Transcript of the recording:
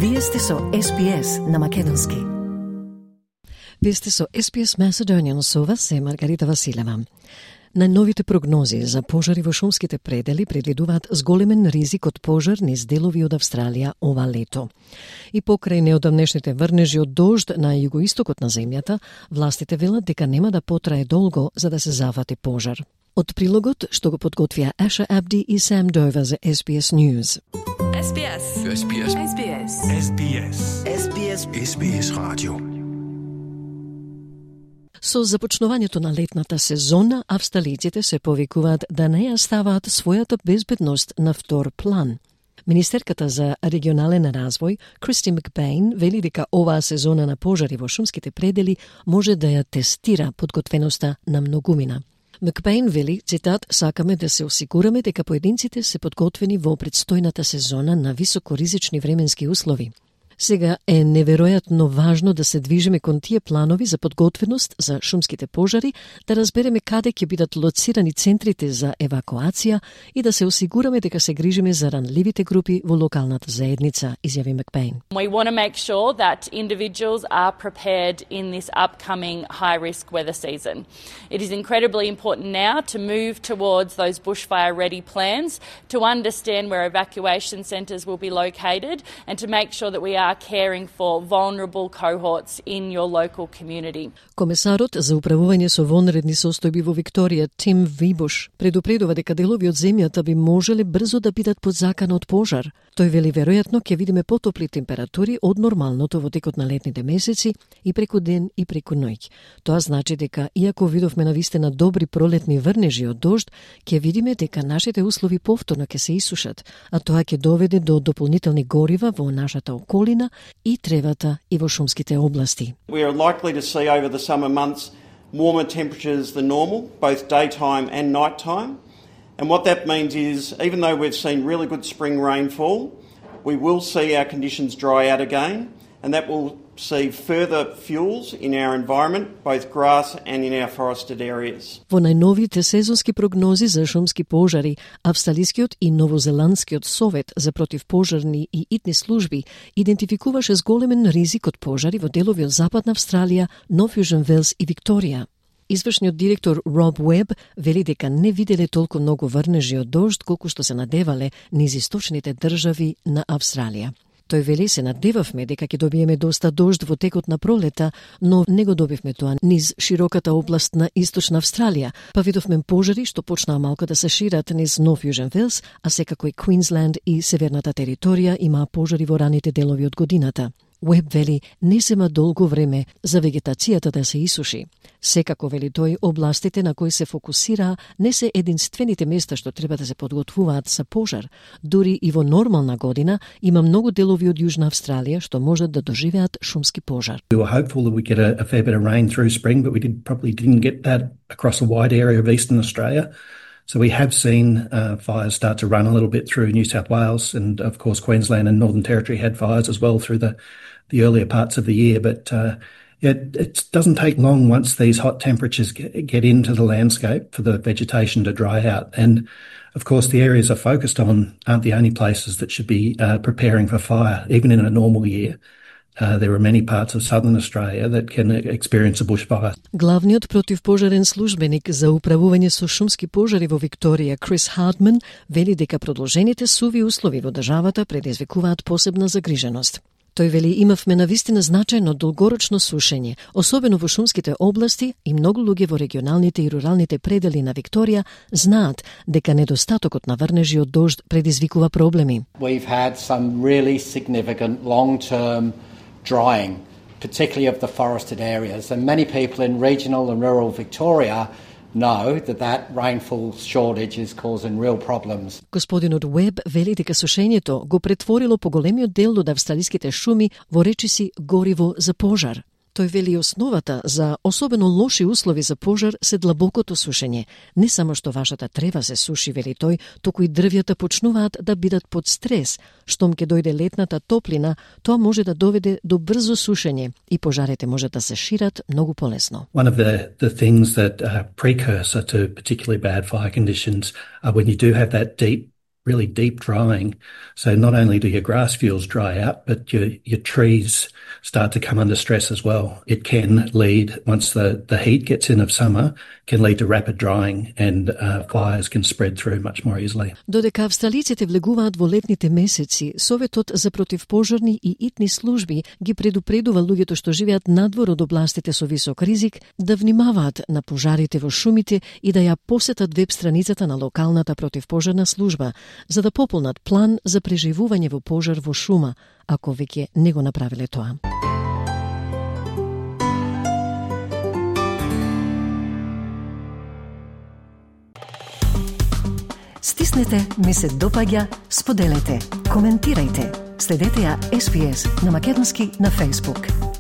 Вие сте со SPS на македонски. Вие сте со SPS Macedonian, со вас е Маргарита Василева. Најновите прогнози за пожари во шумските предели предвидуваат зголемен ризик од пожар низ делови од Австралија ова лето. И покрај неодамнешните врнежи од дожд на југоистокот на земјата, властите велат дека нема да потрае долго за да се зафати пожар. Од прилогот што го подготвија Аша Абди и Сам Довер за SBS News. SBS. SBS. SBS. SBS. SBS. SBS Radio. Со започнувањето на летната сезона, австралиците се повикуваат да не ја ставаат својата безбедност на втор план. Министерката за регионален развој, Кристи Макбейн, вели дека оваа сезона на пожари во шумските предели може да ја тестира подготвеноста на многумина. Макбейн вели, цитат, сакаме да се осигураме дека поединците се подготвени во предстојната сезона на високоризични временски услови. Сега е неверојатно важно да се движиме кон тие планови за подготвеност за шумските пожари, да разбереме каде ќе бидат лоцирани центрите за евакуација и да се осигураме дека се грижиме за ранливите групи во локалната заедница, изјави Макбейн. We want to make sure that individuals are prepared in this upcoming high-risk weather season. It is incredibly important now to move towards those bushfire-ready plans, to understand where evacuation centres will be located, and to make sure that we are caring for vulnerable cohorts in your local community. Комесарот за управување со вонредни состојби во Викторија, Тим Вибуш, предупредува дека делови од земјата би можеле брзо да бидат под закана од пожар. Тој вели веројатно ќе видиме потопли температури од нормалното во текот на летните месеци и преку ден и преку ноќ. Тоа значи дека иако видовме навистина добри пролетни врнежи од дожд, ќе видиме дека нашите услови повторно ќе се исушат, а тоа ќе доведе до дополнителни горива во нашата околина и тревата и во шумските области. We are likely to see over the summer months warmer temperatures than normal, both daytime and nighttime. And what that means is, even though we've seen really good spring rainfall, we will see our conditions dry out again, and that will see further fuels in our environment, both grass and in our forested areas. Во најновите сезонски прогнози за шумски пожари, Австралискиот и Новозеландскиот совет за противпожарни и итни служби идентификуваше зголемен ризик од пожари во делови од Западна Австралија, Нов Јужен Велс и Викторија. Извршниот директор Роб Уеб вели дека не виделе толку многу врнежи од дожд колку што се надевале низ источните држави на Австралија. Тој вели се надевавме дека ќе добиеме доста дожд во текот на пролета, но не го добивме тоа низ широката област на Источна Австралија, па видовме пожари што почнаа малку да се шират низ Нов Јужен Велс, а секако и Квинсленд и северната територија имаа пожари во раните делови од годината. Уеб вели, не зема долго време за вегетацијата да се исуши. Секако, вели тој, областите на кои се фокусира не се единствените места што треба да се подготвуваат за пожар. Дури и во нормална година има многу делови од Јужна Австралија што можат да доживеат шумски пожар. We were hopeful that we get a fair bit of rain through spring, but we probably didn't get that across a wide area of eastern Australia. So we have seen fires start to run a little bit through New South Wales, and of course Queensland and Northern Territory had fires as well through the earlier parts of the year. But it doesn't take long once these hot temperatures get into the landscape for the vegetation to dry out. And of course the areas are focused on aren't the only places that should be preparing for fire, even in a normal year. There are many parts of southern Australia that can experience a bushfire. Главниот противпожарен службеник за управување со шумски пожари во Викторија, Крис Хардман, вели дека продолжените суви услови во државата предизвикуваат посебна загриженост. Тој вели, имавме навистина значајно долгорочно сушење, особено во шумските области, и многу луѓе во регионалните и руралните предели на Викторија знаат дека недостатокот на врнежи од дожд предизвикува проблеми. We've had some really significant long-term drying, particularly of the forested areas, and many people in regional and rural Victoria know that rainfall shortage is causing real problems. Господинот Уеб вели дека сушењето го претворило поголемиот дел од австралиските шуми во речиси гориво за пожар. Тој вели основата за особено лоши услови за пожар се длабокото сушење. Не само што вашата трева се суши, вели тој, туку и дрвјата почнуваат да бидат под стрес. Штом ќе дојде летната топлина, тоа може да доведе до брзо сушење и пожарите може да се шират многу полесно. One of the things that are precursor to particularly bad fire conditions are when you do have that deep really deep drying. So not only do your grass fuels dry out, but your trees start to come under stress as well. It can lead, once the heat gets in of summer, can lead to rapid drying and fires can spread through much more easily. Додека австралиците влегуваат во летните месеци, Советот за противпожарни и итни служби ги предупредува луѓето што живеат надвор од областите со висок ризик да внимаваат на пожарите во шумите и да ја посетат веб страницата на локалната противпожарна служба, за да пополнат план за преживување во пожар во шума, ако веќе не го направиле тоа. Стиснете, ми се допаѓа, споделете, коментирајте. Следете ја SPS на Македонски на Facebook.